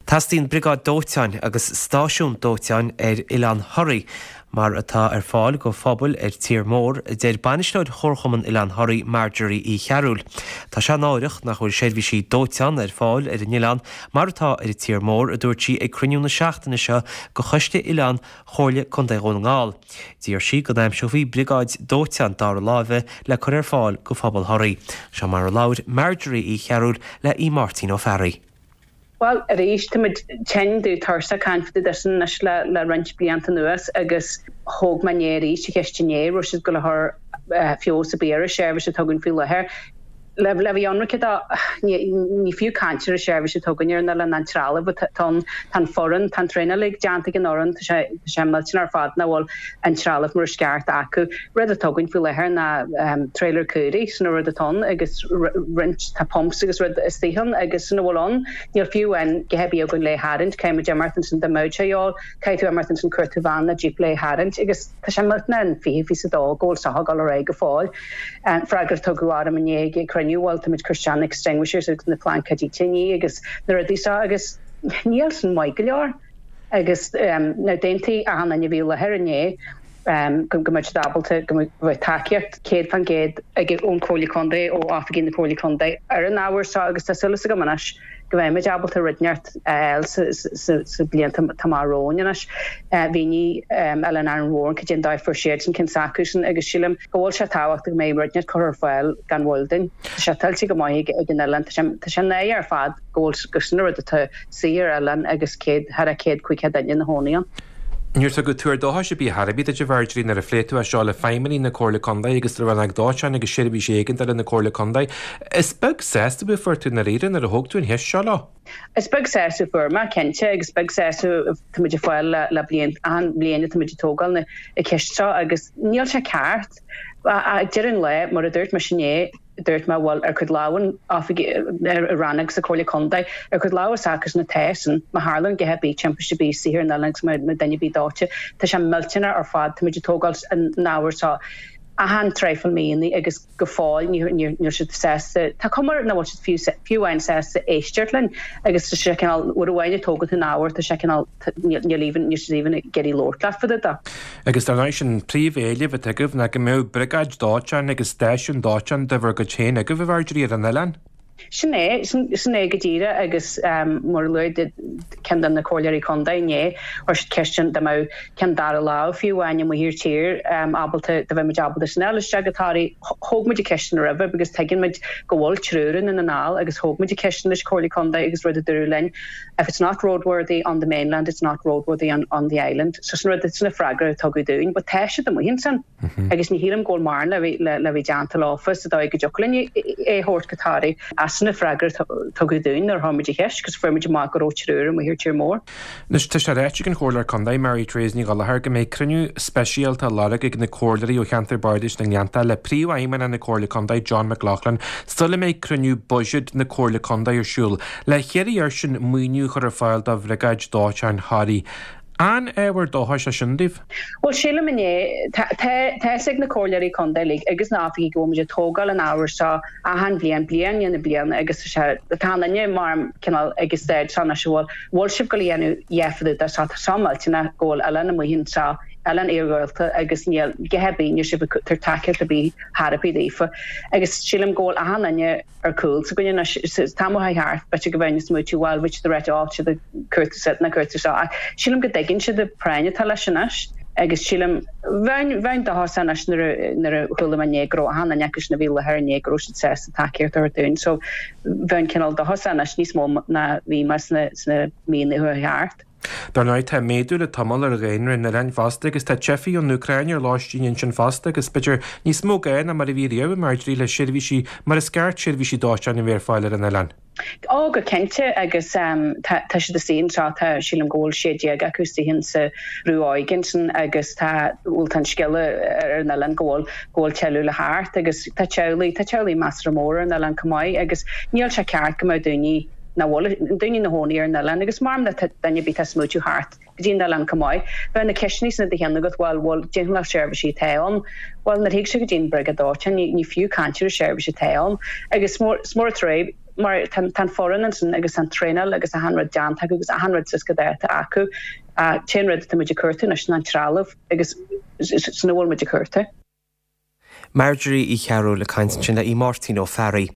Teastaíonn briogáid dóiteáin agus stáisiún dóiteáin ar Oileán Thoraí, mar atá ar fáil go phobail ar tír mór, a deir bainisteoir Chomharchumann Oileán Thoraí, Marjorie Uí Chearúil. Tá sé náireach nach bhfuil seirbhísí dóiteáin ar fáil ar an oileán mar atá ar an tír mór, a dúirt sí ag cruinniú na seachtaine seo go Choiste Oileán Chomhairle Contae Dhún na nGall. D'iarr sí go n-aimseofaí briogáid dóiteáin dara láimhe le cur ar fáil go phobal Thoraí. Seo mar a labhair Marjorie Uí Chearúil le Aodh Máirtín Ó Fearraigh. Bhuel, arís, táimid tinn, dubh tuirseach ag caint fá dtaobh de sin anois le le roinnt blianta anuas agus thóg mé inné arís an cheist inné, raibh siad ag gabháil a chur feabhas ar bith ar an seirbhís atá againn faoi láthair. Le bheith ionraic de, ní fiú caint ar an seirbhís atá againn ar an oileán, an trealamh atá ann, tá an foireann, tá an traenáil uilig déanta ag an fhoireann, tá sé tá sé millteanach ar fad nach bhfuil an trealamh mar is ceart acu. Rud atá againn faoi láthair ná trailer caoirigh, sin an rud atá ann agus roinnt, tá pumps agus rud istigh ann agus sin a bhfuil ann. Níl fiú amháin a dhath ar bith againn le tharraingt, caithfidh muid imeacht ansin dá mbeadh sé a dhíobháil, caithfidh tú imeacht ansin cuartú veain nó jíp le tharraingt agus tá sé millteanach an 20 22 go bhfuil seo ag dul ar aghaidh go fóill. An freagra a tugadh orm inné ag an cruinniú, bhuel táimid ag cur isteach na extinguishers agus na plaincéidí tine agus na rudaí seo agus níl sin maith go leor. Agus now d'aontaigh achan duine a bhí i láthair inné go go mbeadh siad ábalta go mbeadh tacaíocht 100% ag ón Chomhairle Contae ó oifigigh na Comhairle Contae ar an ábhar seo agus tá súil agam anois go mbeimid ábalta rud inteacht a fháil sa blianta atá amach romhainn anois. Mhínigh Oileán Árainn Mhór cad é an dóigh a fuair siadsan ceann s'acusan agus sílim go bhfuil sé tábhachtach go mbeidh rud inteacht curtha ar fáil gan mhoill dúinn. Tá sé tuillte go maith ag an oileán, tá sé náireach ar fad go bhfuil go sin an rud atá istigh ar oileán agus 100 thar a 100 500 duine ina chónaí ann. Níor tugadh tuar dóchais ar bith ar chor ar bith duit a Mharjorie nuair a phléigh tú é seo le feidhmeannaigh na Comhairle Contae agus le Rannóg Dóiteáin agus Seirbhísí Éigeandála na Comhairle Contae. Is beag sásamh a fuair tú i ndáiríre nuair a thóg tú an cheist seo leo. Is beag sásamh a fuair mé, cinnte, agus beag sásamh atá muid ag fáil le bliain, achan bhliain atá muid ag tógáil na ceist seo agus níl sé ceart. Ag deireadh an lae, mar a dúirt mise inné, Dúirt mé, bhuel, ar chuid lámh an oifig i rannóg sa Chomhairle Contae, ar chuid lámh s'acusan atá sin, má tharlaíonn a dhath ar bith, timpiste ar bith istigh ar an oileán agus má duine ar bith dóite, tá sé millteanach ar fad, táimid ag tógáil an ábhar seo achan traidhfil míonna agus go fóill níl siad sásta, tá cuma air nach bhfuil siad fiú fiú amháin sásta éisteacht linn agus tá sé cineál, uair amháin a tógann tú an ábhar, tá sé cineál, níl even, níl siad even ag iarraidh labhairt leat fá dtaobh de. Agus dar ndóigh sin príomhéileamh atá agaibh ná go mbeadh briogáid dóiteáin agus stáisiún dóiteáin de bhur gcuid féin agaibh, a Mharjorie, ar an oileán. Sin é, sin é go díreach agus mar a luaigh ceann de na comhairleoirí contae inné, chuir siad ceist dá mbeadh ceann dara lámh fiú amháin amuigh ar tír ábalta, dá mbeadh muid ábalta sin a fháil isteach go Toraigh. Thóg muid an ceist sin roimhe because tuigeann muid go bhfuil triúr i nDún na nGall agus thóg muid an ceist sin leis Comhairle Contae agus rud a dúradh linn, If it's not roadworthy on the mainland, it's not roadworthy on, on the island. So sin rud, sin an freagra a tugadh dúinn, but tá siad amuigh ansin agus ní shílim go bhfuil mórán le bheith, le, le bheith déanta leofa sa dóigh go dtiocfadh linn é a thabhairt go Toraigh. Ach sin an freagra a tugadh dúinn nuair a chuir muid an cheist, agus fuair muid amach go raibh triúr amuigh ar tír mór. Anois, tá sé ráite ag an Chomhairleoir Contae, Mary Therese Ní Ghallchóir, go mbeidh cruinniú speisialta á lorg ag na comhairleoirí ó cheantar Bardais na nGleannta le Príomhfheidhmeannach na Comhairle Contae, John McLaughlin, sula mbeidh cruinniú buiséid na Comhairle Contae ar siúl. Le hiarraidh airsean maoiniú a chur ar fáil do Bhriogáid Dóiteáin Thoraí. An ábhar dóchais é sin daoibh? Bhuel, sílim inné, tá tá fhios ag na comhairleoirí contae uilig agus na oifigigh go bhfuil muid ag tógáil an ábhair seo achan bhliain, bliain i ndiaidh na bliana agus tá sé, tá an duine mar cineál ag an staid seo anois a bhfuil, bhfuil sibh ag gabháil a dhéanamh a dhath fá dtaobh de seo, tá seo millteanach go bhfuil oileán amuigh anseo, oileán iarghúlta agus níl a dhath ar bith, níl sibh ag tabhairt tacaíocht ar bith chor ar bith daofa agus sílim go bhfuil achan duine ar cúl s'againne anois. An t-am a chuaigh thart, b'fhéidir go mbeinn ag smaoitiú, bhuel, bhí siad ag ráit, á, siad ag cuartú seo nó cuartú seo, ach sílim go dtuigeann siad an práinn atá leis anois agus sílim, bheinn, bheinn dóchasach anois nuair a, nuair a chuala mé inné go raibh achan duine acu sin a bhí i láthair inné go raibh siad sásta tacaíocht a thabhairt dúinn. So bheinn cineál dóchasach anois níos mó ná bhí mé sna, sna míonna a chuaigh thart. Dar ndóigh, tá méadú le tamall ar dhaonra an oileáin fosta agus tá teifigh ón Úcráin ar lóistín ansin fosta agus b'fhéidir níos mó gá ná mar a bhí riamh, a Marjorie, le seirbhísí mar is ceart, seirbhísí dóiteáin a bheith ar fáil ar an oileán. Ó, go cinnte agus tá siad istigh anseo, tá, sílim go bhfuil 16 acu istigh insa bhrú óige ansin agus tá, bhuel tá an scéala ar an oileán go bhfuil, go bhfuil tuilleadh le theacht agus tá teaghlaigh, tá teaghlaigh measartha mór ar an oileán chomh maith agus níl sé ceart go mbeadh daoine, nach bhfuil daoine ina gcónaí ar an oileán agus mar má tá duine ar bith atá ag smaoitiú theacht go dtí an oileán chomh maith. Bheadh na ceisteanna sin i do cheann agat, bhuel, bhuel, cén cineál seirbhísí atá ann? Bhuel, nuair a thig sé go dtí an briogáid dóiteáin, ní, ní fiú caint ar an seirbhís atá ann. Agus is mór, is mór an trua. Mar tá an foireann ansin agus tá an traenáil agus achan rud déanta acu agus achan rud suas go dáta acu. An t-aon rud atá muid ag cuartú anois ná an trealamh agus sin a bhfuil muid ag cuartú. Marjorie Uí Chearúil ag caint ansin le Máirtín Ó Fearraigh.